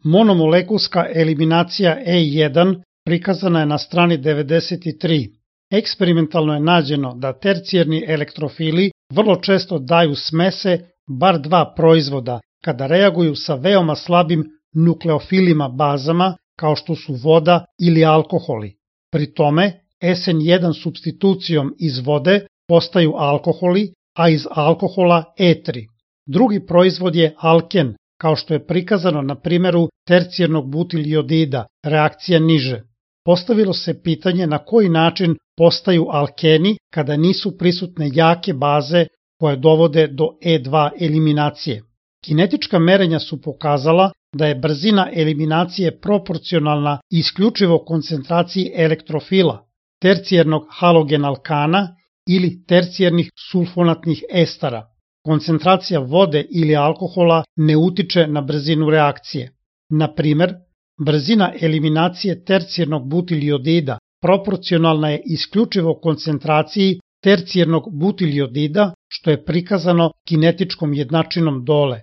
Monomolekulska eliminacija E1 prikazana je na strani 93. Eksperimentalno je nađeno da tercijerni elektrofili vrlo često daju smese bar dva proizvoda kada reaguju sa veoma slabim nukleofilima bazama kao što su voda ili alkoholi. Pri tome SN1 supstitucijom iz vode postaju alkoholi, a iz alkohola etri. Drugi proizvod je alken, kao što je prikazano na primjeru tercijernog butiljodida, reakcija niže. Postavilo se pitanje na koji način postaju alkeni kada nisu prisutne jake baze koje dovode do E2 eliminacije. Kinetička merenja su pokazala da je brzina eliminacije proporcionalna isključivo koncentraciji elektrofila, tercijernog halogenalkana ili tercijernih sulfonatnih estara. Koncentracija vode ili alkohola ne utiče na brzinu reakcije. Na primer, brzina eliminacije tercijernog butiljodida proporcionalna je isključivo koncentraciji tercijernog butiljodida, što je prikazano kinetičkom jednačinom dole.